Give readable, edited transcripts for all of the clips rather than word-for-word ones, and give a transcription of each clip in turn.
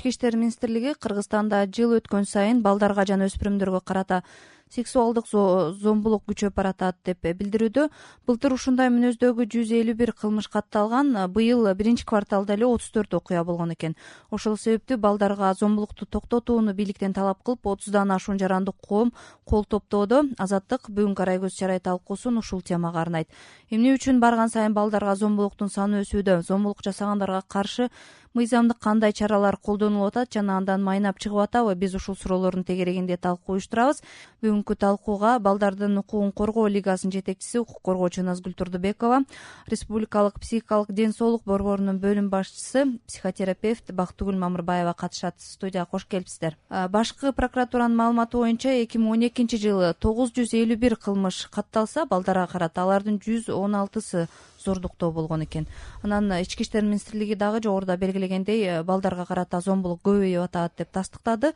Ички иштер министрлиги Кыргызстанда жыл өткөн сайын балдарга жана өспүрүмдөргө карата сексуалдык зомбулук күчөп баратат деп билдирүүдө. Былтыр ушундай мүнөздөгү 151 кылмыш катталган, быйыл биринчи кварталда эле 34 окуя болгон экен. Ошол себептүү балдарга зомбулукту токтотууну бийликтен талап кылып, 30дан ашуун жарандык коом кол топтоодо. Азаттык бүгүнкү арай көз чарай талкуусун ушул темага арнайт. Эмне үчүн барган сайын балдарга зомбулуктун саны өсүүдө? Зомбулук жасагандарга каршы мыйзамдык кандай чаралар колдонулуп атат жана андан майнап чыгып атабы? Биз ушул суроолордун тегерегинде талкуу уюштурабыз. Бүгүнкү талкууга Балдардын укугун коргоо лигасынын жетекчиси, укук коргоочу Назгүл Турдубекова, Республикалык психикалык ден соолук борборунун бөлүм башчысы, психотерапевт Бактыгүл Мамырбаева катышат. Студияга кош келипсиздер. Башкы прокуратуранын маалыматы боюнча 2012-жылы 951 кылмыш катталса, балдарга карата алардын 116сы зордуктоо болгон экен. Анан Ички иштер министрлиги дагы жогоруда белгилегендей, балдарга карата зомбулук көбөйүп атат деп тастыктады.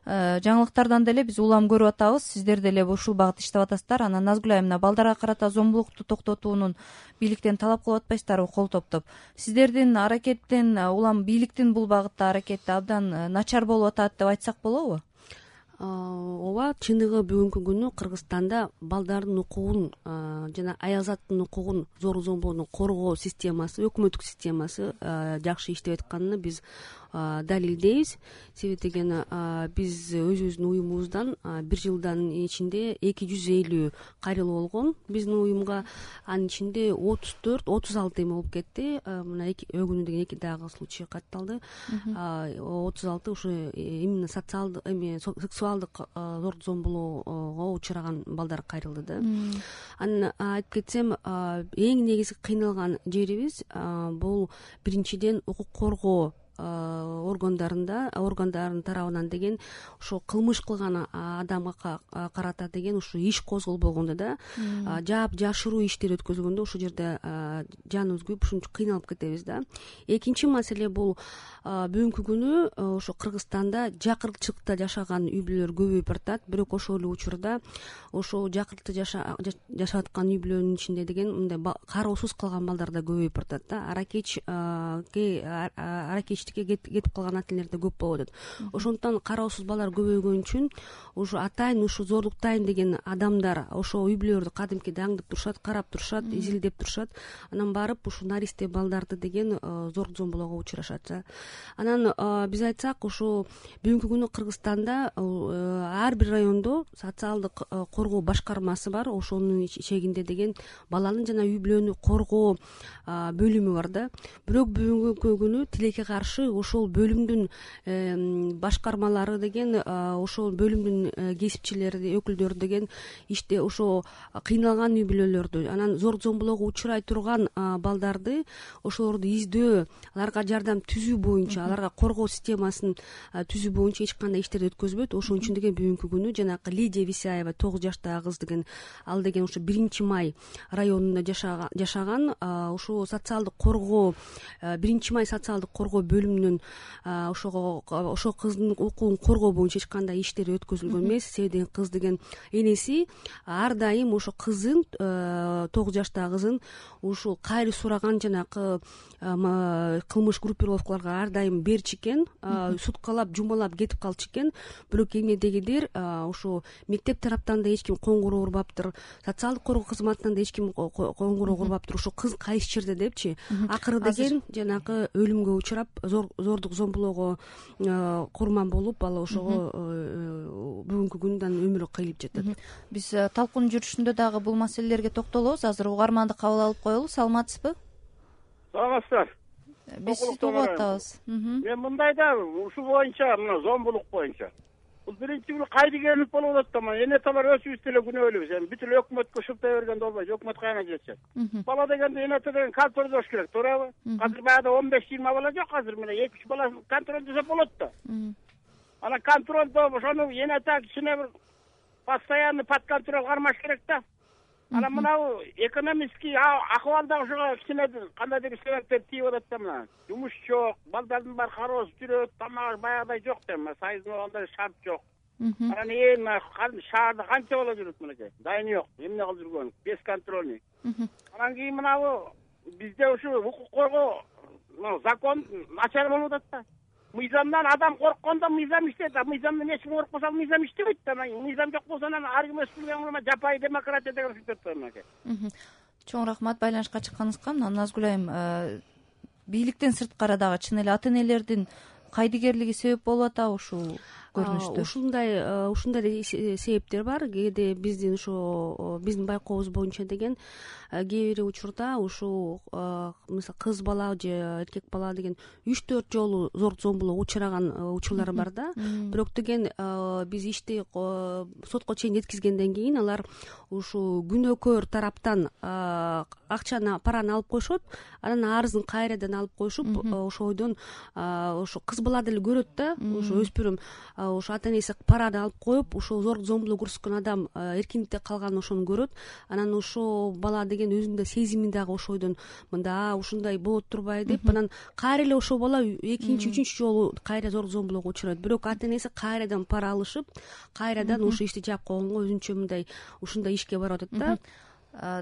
Жаңылыктардан деле биз улам көрүп атабыз. Сиздер деле ушул багытта иштеп атасыздар. Анан Назгүл айымына балдарга карата зомбулукту токтотуунун бийликтен талап кылып атпайсыздарбы кол топтоп? Сиздердин аракеттен улам бийликтин бул багытта аракети абдан начар болуп атат деп айтсак болобу? Ооба, чындыгы бүгүнкү күнү Кыргызстанда балдардын укугун жана аялзаттын укугун зомбулуктан коргоо системасы, өкмөттүк системасы жакшы иштеп атканына биз далилдейбиз. Себеби деген биз өзүбүздүн уюмубуздан бир жылдын ичинде 250 кайрылуу болгон биздин уюмга. Анын ичинде 34-36 эме болуп кетти. Мына өгүнүү деген 2 дагы случай катталды. 36 ушу именно сексуалдык зомбулоого учураган балдар кайрылды да. Анан айтып кетсем, эң негизги кыйналган жерибиз бул биринчиден укук коргоо органдарынын тарабынан деген ошо кылмыш кылган адамга карата деген ушу иш козголбогондо да, жашыруу иштер өткөзүлгөндө ошол жерде жаныбыз күйүп ушунча кыйналып кетебиз да. Экинчи маселе бул бүгүнкү күнү ошо Кыргызстанда жакыртчылыкта жашаган үй бүлөлөр көбөйүп баратат. Бирок ошол эле учурда ошо жакыртыкта жашап аткан үй бүлөнүн ичинде деген мындай кароосуз калган балдар да көбөйүп баратат да. Аракечтикке кетип калган ата энелер да көп болуп атат. Ошондуктан кароосуз балдар көбөйгөн үчүн ушу атайын ушу зордуктайын деген адамдар ошо үй бүлөлөрдү кадимки аңдып турушат, карап турушат, изилдеп турушат. Анан барып ушу наристе балдарды деген зомбулоого учурашат. Анан биз айтсак, ушу бүгүнкү күнү Кыргызстанда ар бир райондо социалдык коргоо башкармасы бар. Ошонун ичегинде деген баланы жана үй бүлөнү коргоо бөлүмү бар да. Бирок бүгүнкү күнү тилекке каршы ошол бөлүмдүн башкармалары деген ошол бөлүмдүн кесипчилери, өкүлдөрү деген иште ошо кыйналган үй бүлөлөрдү, анан зомбулоого учурай турган балдарды ошолорду издөө, аларга жардам түзүү боюнча, аларга коргоо системасын түзүү боюнча эч кандай иштерди өткөзбөйт. Ошон үчүн деген бүгүнкү күнү жанагы Лидия Висяева 9 жаштагы кыз деген, ал деген ошо 1-Май районунда жашаган, ошо социалдык коргоо 1-Май социалдык коргоо бөлүмүнүн ошол кыздын укугун коргоо боюнча эч кандай иштери өткөзүлгөн эмес. Себеби деген кыз деген энеси ар дайым ошо кызын, 9 жаштагы кызын ушул кайры сураган жанагы кылмыш группировкаларга ар дайым берчү экен, суткалап, жумалап кетип калчу экен. Бирок эмнедегидир ошо мектеп тараптан да эч ким коңгуроо урбаптыр, социалдык коргоо кызматынан да эч ким коңгуроо урбаптыр. Ошо кыз кайсы жерде депчи. Акыры деген жанагы өлүмгө учурап, зордук зомбулоого курман болуп, ал ошого бүгүнкү күндө өмүрү кыйылып жатат. Биз талкуунун жүрүшүндө дагы бул маселелерге токтолобуз. Азыр угарманды кабыл алып коелу. Саламатсызбы? Саламатсыздар. Биз сизди угуп атабыз. Мен мындай да ушул боюнча, мына зомбулук боюнча бул биринчи бул кайдыгерлик болуп атат да. Эне аталар өзүбүз деле күнөөлүүбүз. Эми бүт эле өкмөткө шылтай бергенде болбойт. Өкмөт каяна жетет. Бала дегенде эне ата деген контролдош керек, туурабы? Азыр баягыда 15-20 бала жок, азыр мына 2-3 бала контролдосо болот да. Анан контролдо ошону эне ата кичине бир постоянный под контроль кармаш керек да. Анан мынау экономический акыбалда ошого кичине кандайдыр себептер тийип атат да. Мына жумуш жок, балдардын баары кароосуз жүрөт, тамак баягыдай жок да, сайыздын андай шарт жок. Анан шаарда канча бала жүрөт мынакей, дайын жок, эмне кылып жүргөн, бесконтрольный. Анан кийин мынабу бизде ушу укук коргоо закон начар болуп атат да. мыйзамдан адам корккондо мыйзам иштейт, а мыйзамдан эч ким коркпосо мыйзам иштебейт да. Мыйзам жок болсо анан ар ким өз билгени жапайы демократия деген сүйтөт да мынакей. Чоң рахмат байланышка чыкканыңызга. Мына Назгүл айым, бийликтен сырткары дагы чын эле ата энелердин кайдыгерлиги себеп болуп атабы ушул көрүнүштө? Ушундай себептер бар. Кээде биздин байкообуз боюнча деген кээ бир учурда ушул мисалы кыз бала же эркек бала деген 3-4 жолу зор зомбулукка учураган учурлар бар да. Бирок деген биз ишти сотко чейин жеткизгенден кийин алар ушул күнөөкөр тараптан акчаны, параны алып коюшат, анан арызын кайрадан алып коюшуп, ошойдон ошо кыз бала деле көрөт да, ошо өспүрүм ошо ата энеси параны алып коюп, ошо зор зомбулук көрсөткөн адам эркиндикте калганын ошону көрөт. Анан ошо бала деген өзүнүн сезими дагы ошойдон мында ушундай болот турбайбы деп, анан кайра эле ошол бала экинчи, үчүнчү жолу кайра зор зомбулукка учурайт. Бирок ата энеси кайрадан пара алышып, кайрадан ошо ишти жаап койгонго өзүнчө мындай ушундай ишке барып атат да.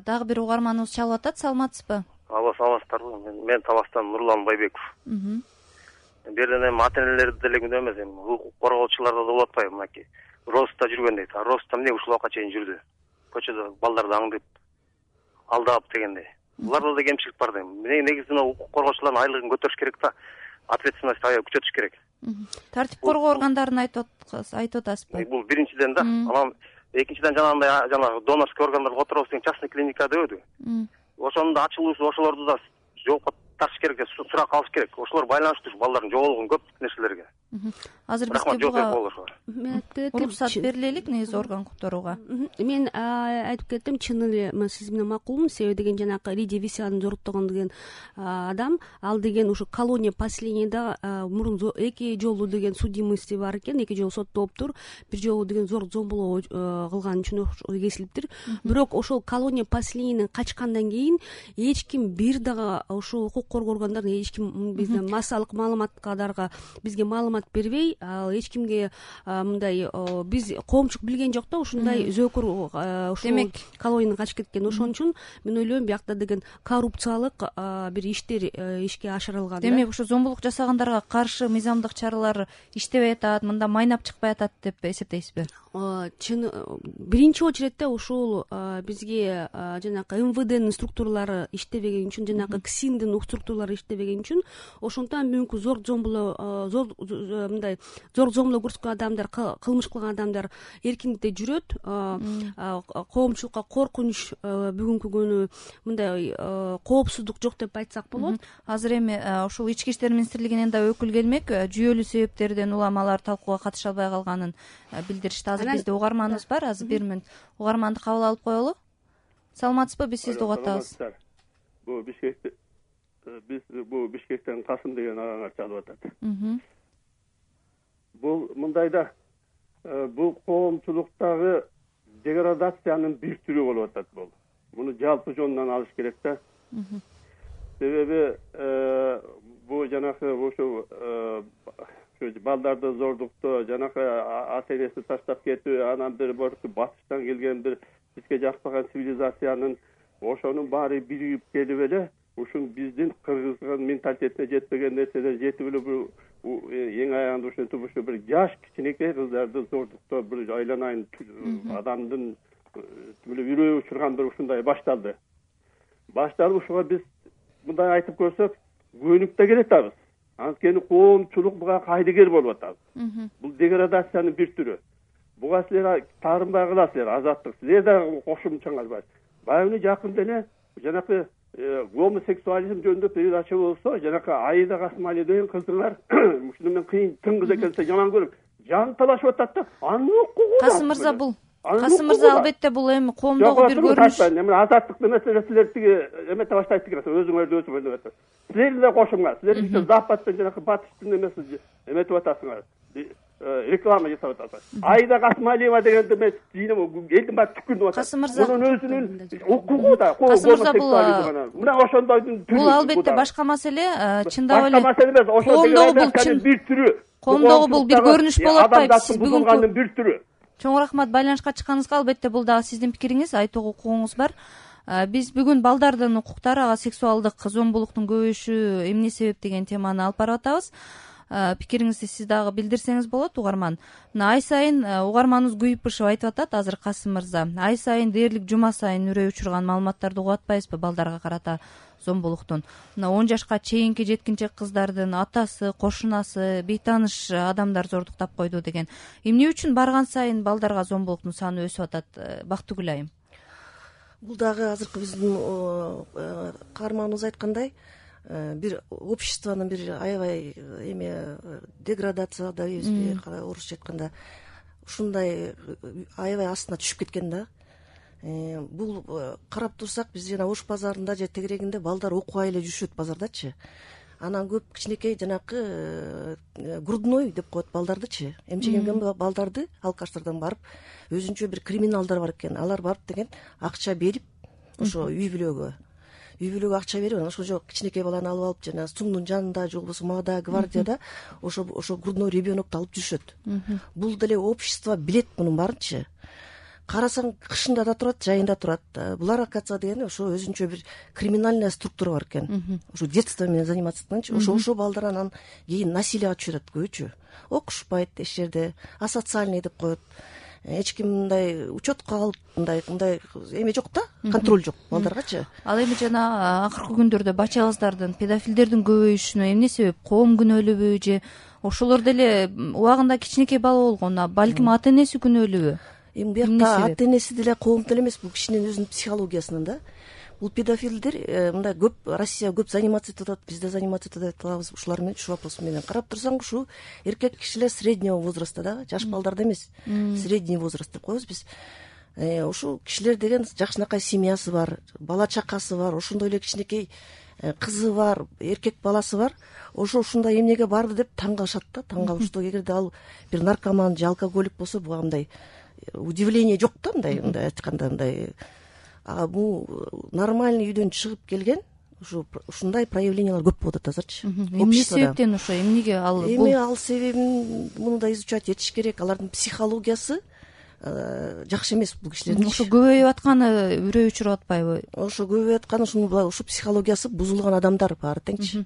Дагы бир угарманыбыз чалып атат. Саламатсызбы? Саламатсыздарбы? Мен Таластан Нурлан Байбеков. Берден эми ата энелерди деле күнөө эмес, эми укук коргоочуларда да болуп атпайбы? Мынакей Роста жүргөн дейт. Роста эмне ушул убакка чейин жүрдү? Көчөдө балдарды аңдып, алдап дегендей. Буларда да кемчилик бар дейм. Негизинен укук коргоочулардын айлыгын көтөрүш керек да. Ответственность аябай күчөтүш керек. Тартип коргоо органдарын айтып атасызбы? Бул биринчиден да. Анан экинчиден жанагы донорский органдар отуробуз деген частный клиника дебеди. Ошонун да ачылуусу ошолорду да жоопко тартыш керек, сурак алыш керек. Ошолор байланыштуу балдардын жоголгон көп нерселерге. Азыр бизге буга уруксат берилелик негизи орган которууга. Мен айтып кеттим, чын эле сиз менен макулмун. Себеби деген жанагы Лидия Висянын жоруктогон деген адам, ал деген ушу колония поселениеда мурун 2 жолу деген судимости бар экен, 2 жолу соттолуптур. Бир жолу деген зор зомбулук кылган үчүн кесилиптир. Бирок ошол колония поселениеден качкандан кийин эч ким бир дагы ушул укук коргоо органдарына эч ким бизден массалык маалыматкадарга бизге маалымат бербей, эч кимге мындай биз коомчулук билген жок да, ушундай зөөкөр ушул колониядан качып кеткен. Ошон үчүн мен ойлойм биякта деген коррупциялык бир иштер ишке ашырылган. Демек ушу зомбулук жасагандарга каршы мыйзамдык чаралар иштебей атат, мында майнап чыкпай атат деп эсептейсизби? Чын биринчи очередте ушул бизге жанагы МВДнын структуралары иштебеген үчүн, жанагы КСИНдин структуралары иштебеген үчүн, ошондон бүгүнкү зор зомбулук көрсөткөн адамдар, кылмыш кылган адамдар эркиндикте жүрөт. Коомчулукка коркунуч бүгүнкү күнү мындай коопсуздук жок деп айтсак болот. Азыр эми ушул Ички иштер министрлигинен да өкүл келмек, жүйөлүү себептерден уламалар талкууга катыша албай калганын билдиришти. Азыр бизде угарманыбыз бар, азыр 1 мүнөт угарманды кабыл алып коелу. Саламатсызбы? Биз сизди угуп атабыз. Бул Бишкектен Касым деген агаңар чалып атат. Бул мындайда бул коомчулуктагы деградациянын бир түрү болуп атат бул. Муну жалпы жонунан алыш керек да. Себеби бул жанагы ошо балдарды зордуктоо, жанагы ата энеси таштап кетүү, анан бир батыштан келген бир бизге жакпаган цивилизациянын ошонун баары биригип келип эле ушун биздин кыргыздын менталитетине жетпеген нерселер жетип эле бул эң аягында ушинтип ушу бир жаш кичинекей кыздарды зордуктоо, бир айланайын адамдын үрөө учурган бир ушундай башталды. Ушуга биз мындай айтып көрсөк, көнүп да келатабыз. Анткени коомчулук буга кайдыгер болуп атат. Бул деградациянын бир түрү. Буга силер таарынбай каласыздар, азаттык. Силер да кошумчаңар бар. Баягы жакында эле жанакы гомосексуализм жөнүндө передача болсо, жанакы Аида Касымали деген кыздыңар ушуну мен кыйын тың кыз экенин жаман көрөм. Жан талашып атат да. Анын укугу. Касым мырза, албетте бул эми коомдогу бир көрүнүш. Азаттыктын маселеси силер тиги эмете баштайт деген, өзүңөрдү өзүңөр деп атат. Силер да кошуңар. Силер иште Западтын жанакы батыштын эмеси эметип атасыңар. Реклама жасап атат. Аида Касымалиева дегенди мен элдин баары түкүрүп атат. Касым мырза, мунун өзүнүн укугу да. Касым мырза, мына ошондойдун бул албетте башка маселе, чындап эле. Башка маселе эмес, Коомдогу бул чын бир түрү. Коомдогу бул бир көрүнүш болуп атпайбы? Сиз бүгүнкү бир түрү. Чоң рахмат байланышка чыкканыңызга. Албетте бул дагы сиздин пикириңиз, айтууга укугуңуз бар. Биз бүгүн балдардын укуктары, ага сексуалдык зомбулуктун көбөйүшү эмне себеп деген теманы алып барып атабыз. пикириңизди сиз дагы билдирсеңиз болот, угарман. Мына ай сайын угарманыбыз күйүп бышып айтып атат азыр Касым мырза. Ай сайын дээрлик жума сайын үрөй учурган маалыматтарды угуп атпайбызбы балдарга карата зомбулуктун? Мына 10 жашка чейинки жеткинчек кыздардын атасы, кошунасы, бейтааныш адамдар зордуктап койду деген. Эмне үчүн барган сайын балдарга зомбулуктун саны өсүп атат, Бактыгүл айым? Бул дагы азыркы биздин каарманыбыз айткандай, бир обществонун бир аябай деградация дейбизби, орусча айтканда, ушундай аябай астына түшүп кеткен да. Бул карап турсак, биз жана Ош базарында же тегерегинде балдар окубай эле жүрүшөт базардачы. Анан көп кичинекей жанакы грудной деп коет балдардычы. Эмчегенген балдарды алкаштардан барып, өзүнчө бир криминалдар бар экен. Алар барып деген акча берип, ошо үй бүлөгө акча берип, анан ошо кичинекей баланы алып алып, жана суңдун жанында же болбосо Мада гвардияда ошо грудной ребенокду алып жүрүшөт. Бул деле общество билет мунун баарынчы. Карасаң, кышында да турат, жайында турат. Булар, оказывается, дегени ошо өзүнчө бир криминальная структура бар экен. Ошо детство менен заниматься эткенчи, ошо балдар анан кийин насилияга түшүрөт көбүчө. Окушпайт эч жерде, асоциальный деп коет. Эч ким мындай учетко алып, мындай эме жок да, контроль жок балдаргачы. Ал эми жана акыркы күндөрдө бача кыздардын, педофилдердин көбөйүшүнө эмне себеп? Коом күнөөлүүбү же ошолор деле убагында кичинекей бала болгон, балким ата энеси күнөөлүүбү? Эми буякта ата энеси деле коом деле эмес, бул кишинин өзүнүн психологиясынан да. Бул педофилдер мындай көп, Россия көп заниматься этип атат, биз да заниматься этип атабыз ушулар менен, ушу вопрос менен. Карап турсаң, ушу эркек кишилер среднего возраста да, жаш балдарда эмес, средний возраст деп коебуз биз. Ушул кишилер деген жакшынакай семьясы бар, бала чакасы бар, ошондой эле кичинекей кызы бар, эркек баласы бар. Ушундай эмнеге барды деп таң калышат да, таң калышты. Эгерде ал бир наркоман же алкоголик болсо, буга мындай удивление жок да, мындай айтканда, мындай бул нормальный үйдөн чыгып келген, ушундай проявлениялар көп болуп атат азырчы. Эмне себептен ошо, эмнеге ал? Эми ал себебин муну да изучать этиш керек. Алардын психологиясы жакшы эмес бул кишилердин. Ошо көбөйүп атканы үрөй учуруп атпайбы? Ошо көбөйүп атканы ушу психологиясы бузулган адамдар баары теңчи.